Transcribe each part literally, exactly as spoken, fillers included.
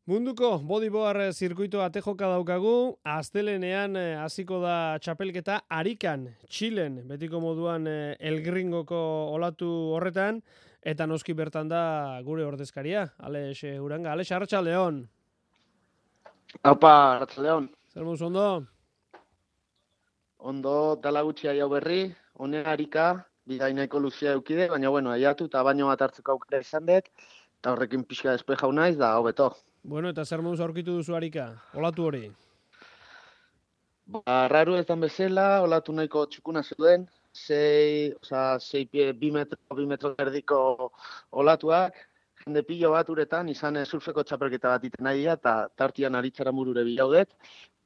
Munduko bodyboard zirkuitoa tejoka daukagu, astelenean eh, hasiko da txapelketa Arikan, Txilen, betiko moduan eh, Elgringoko olatu horretan, eta noski bertan da gure ordezkaria, Alex eh, Uranga. Alex, arratsaldeon. Aupa, Arratsaldeon. Zer moduz ondo? Ondo dala gutxi hau berri, honea Arika, bidai nahiko luzea eukide, baina bueno, aiatu eta baino bat hartzeko aukera izan dut, eta horrekin pixka despejau naiz, da hobeto. Bueno, eta zer moduz aurkitu duzu Arika, olatu hori? Ba, raru ezan bezala, olatu nahiko txukuna zeuden, sei, oza, sei pie, bi metro, bi metro erdiko olatuak, jende pilo bat uretan, izan surfeko txapelketa bat iten nahi eta tartian aritzara murure bilaudet,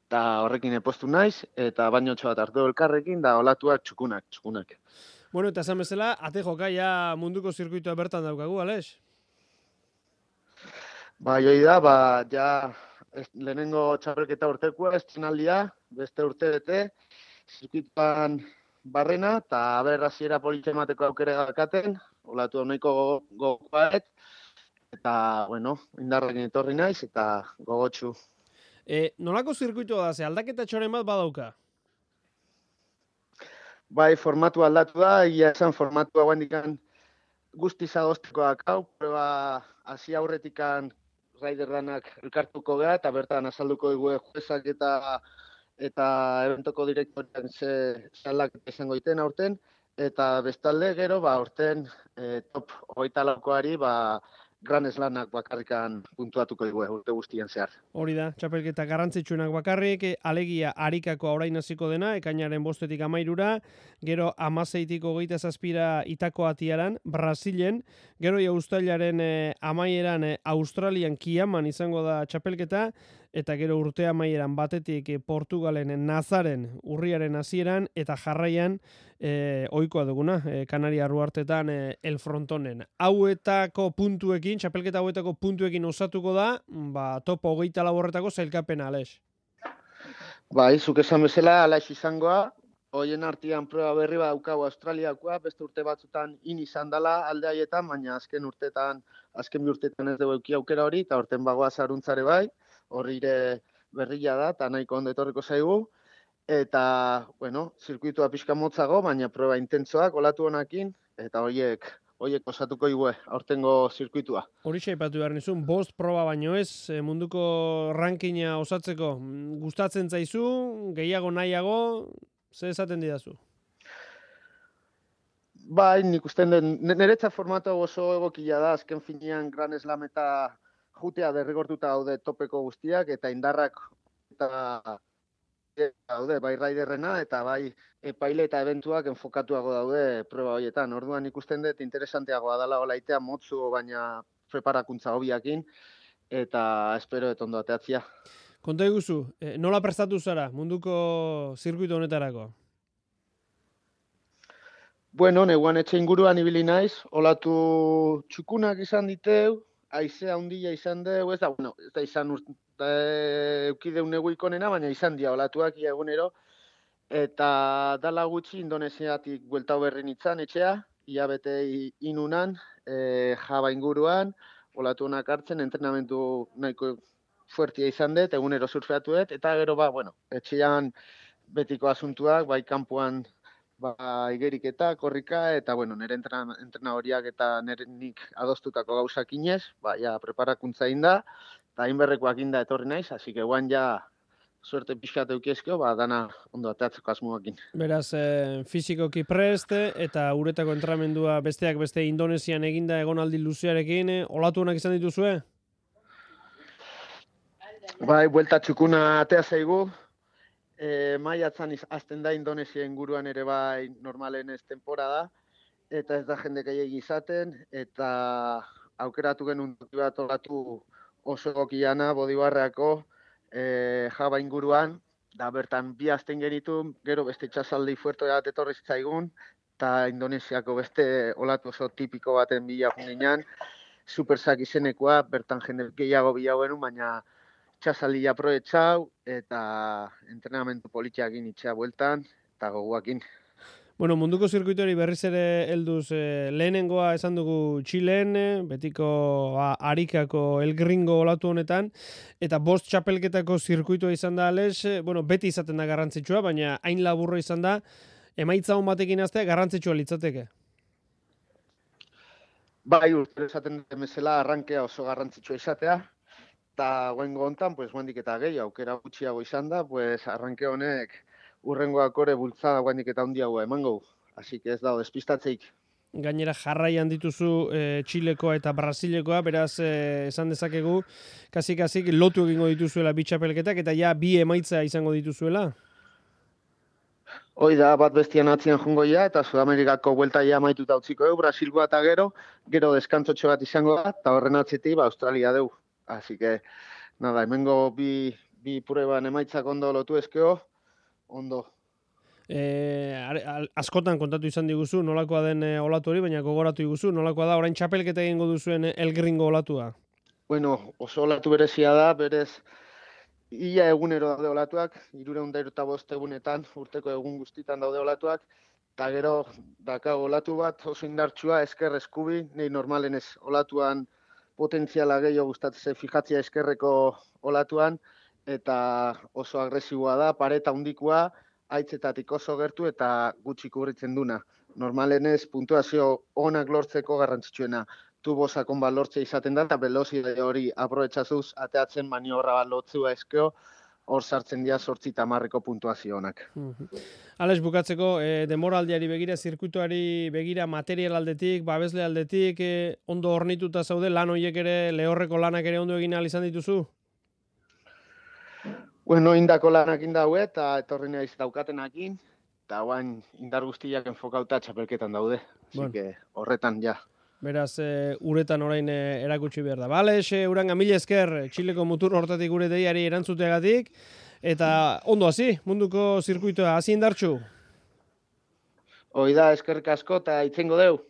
eta horrekin epostu naiz, eta bainotxo bat hartu elkarrekin, da olatuak txukunak, txukunak. Bueno, eta esan bezala, ate joka ja munduko zirkuitoa bertan daukagu, Alex? Ba, joi da, ba, ja, ez, lehenengo txapelketa urtekoa, estrenaldia, beste urte bete, zirkuituan barrena, eta aber hasiera politxe emateko aukere gakaten, olatu nahiko gogoaet, eta, bueno, indarrekin etorri naiz, eta gogotsu. E, nolako zirkuitoa da, ze aldaketa txoren bat badauka? Bai, formatu aldatu da, egia esan formatu hau handikan guztiz adostikoak hau, proba hasi aurretikan Raider lanak elkartuko gara, eta bertan azalduko dugu juezak eta eta eventoko direktorean ze aldaketa izango iten aurten, eta bestalde gero, ba, aurten e, top hogeita laukoari, ba, Grand Slamak bakarrikan puntuatuko dugu urte guztien zehar. Hori da, txapelketa garrantzitsuenak bakarrik, alegia Arikako orain hasiko dena, ekainaren bostetik amairura, gero amaseitik hogeita zazpira itako atiaran, Brasilen, gero uztailaren eh, amaieran eh, Australian Kiaman izango da txapelketa, eta gero urte amaieran batetik eh, Portugalen Nazaren urriaren hasieran, eta jarraian eh, ohikoa duguna, eh, Kanaria Ruartetan eh, El Frontonen. Hauetako puntuekin, txapelketa hauetako puntuekin osatuko da, ba, topo hogeita laborretako zailkapena, Alex. Bai, zuk esan bezala, Alex izangoa, hoien artean proba berri bat daukagu Australiakoa, beste urte batzutan in izan dela alde haietan, baina azken urtetan, azken bi urtetan ez dugu euki aukera hori, eta horten bagoa zaruntzare bai, horri ere berria da, eta nahiko ondo etorriko zaigu, eta, bueno, zirkuitua pixka motzago, baina proba intentsoak, olatu honakin, eta horiek Oiek osatuko igue, aurtengo zirkuitua. Horixe aipatu behar nizun, bost proba baino ez, munduko rankina osatzeko. Gustatzen zaizu, gehiago nahiago, ze esaten didazu? Bai, nik usten den, niretzat formatu oso egokia da, azken finean Grand Slam eta jutea derrigortuta daude topeko guztiak, eta indarrak eta daude, bai raiderrena eta bai epaile eta eventuak enfokatuago daude proba horietan. Orduan ikusten dut interesanteagoa dela olaitea motzu, baina preparakuntza hobiakin, eta espero dut ondo ateatzia. Konta iguzu, nola prestatu zara munduko zirkuito honetarako? Bueno, neguan etxe inguruan ibili naiz, olatu txukunak izan diteu, haizea handia izan deu, ez da, bueno, ez da izan urte, eukideu negu ikonena, baina izan dia olatuak ia egunero, eta dala gutxi Indonesiatik bueltau berri nintzen etxea, ia bete inunan, e, Jaba inguruan, olatu honak hartzen, entrenamentu nahiko fuertia izan dut, egunero surfeatu dut, eta gero ba, bueno, etxean betiko asuntuak, bai kanpoan ba, igeriketa, korrika, eta bueno, nire entrena, entrena horiak eta nire nik adostutako gauzak inez, ba, ja, preparakuntza inda, eta inberrekoak inda etorri naiz, hasi que guan ja suerte pixkat eukiezkeo, ba, dana ondo ateatzeko asmoakin. Beraz, eh, fizikoki preste, eta uretako entrenamendua besteak beste Indonesian eginda egonaldi luzearekin, eh, olatu honak izan dituzue? Bai, buelta txukuna atea zaigu, e, maiatzan azten da Indonesia inguruan ere bai normalen ez temporada, eta ez da jende gehiagi izaten, eta aukeratu genuen bat olatu oso egokiana bodibarreako, e, Jaba inguruan, da bertan bi azten genitu, gero beste txasaldi fuerte bat etorri zitzaigun, eta Indonesiako beste olatu oso tipiko baten bila junginan, supersak izenekoa, bertan jende gehiago bila genuen, baina txasaldi aproetxau, eta entrenamentu politiakin itxea bueltan, eta goguakin. Bueno, munduko zirkuitori berriz ere helduz e, lehenengoa esan dugu Txilen, betiko a, Arikako El Gringo olatu honetan, eta bost txapelketako zirkuitua izan da, Alex, bueno, beti izaten da garrantzitsua, baina hain laburro izan da, emaitza hon batekin aztea garrantzitsua litzateke. Bai, urtero esaten dut bezala arrankea oso garrantzitsua izatea, eta guengo hontan, pues, guendik eta gehi, aukera gutxiago izan da, pues, arranke honek urrengoak ore bultzada guendik eta handiagoa emango. Así que ez dago despistatzeik. Gainera jarraian dituzu e, Txilekoa eta Brasilekoa, beraz e, esan dezakegu, kasik-kasik lotu egingo dituzuela bi txapelketak, eta ja bi emaitza izango dituzuela. Hoi da, bat bestian atzian jungo ja, eta Sudamerikako buelta ja amaituta utziko du, Brasilgoa eta gero, gero deskantzotxo bat izango da, eta horren atzetik ba, Australia deu. Así que, nada, hemengo bi, bi prueban emaitzak ondo lotu ezkeo, ondo. E, askotan kontatu izan diguzu, nolakoa den e, olatu hori, baina gogoratu diguzu, nolakoa da, orain txapelketa egingo duzuen El Gringo olatua? Bueno, oso olatu berezia da, berez, ia egunero daude olatuak, hirurehun eta bost egunetan, urteko egun guztitan daude olatuak, eta gero dakago olatu bat oso indartsua, esker eskubi, nei normalen ez olatuan potentziala gehiago gustatzen fijatzea eskerreko olatuan, eta oso agresiboa da, pareta handikoa, aitzetatik oso gertu eta gutxi kubritzen duna. Normalenez puntuazio onak lortzeko garrantzitsuena. Tubo sakon bat lortzea izaten da, eta velozide hori aprobetxazuz ateatzen maniobra bat lotzua eskeo, hor sartzen dira zortzi tamarreko puntuazio honak. Alex, bukatzeko, e, demoraldiari begira, zirkuituari begira, material aldetik, babesle aldetik, e, ondo hornituta zaude, lan horiek ere, lehorreko lanak ere ondo egin ahal izan dituzu? Bueno, indako lanak indaue eta etorri naiz daukatenakin, eta guain indar guztiak enfokauta txapelketan daude. Así bueno. que horretan ja. Beraz, e, uretan orain e, erakutsi behar da. Bale, xe, uranga, mila esker, Txileko mutur hortatik gure deiari erantzuteagatik, eta ondo hasi, munduko zirkuitoa, hasi indartxu. Hoi da, eskerrik asko eta itzengo deu.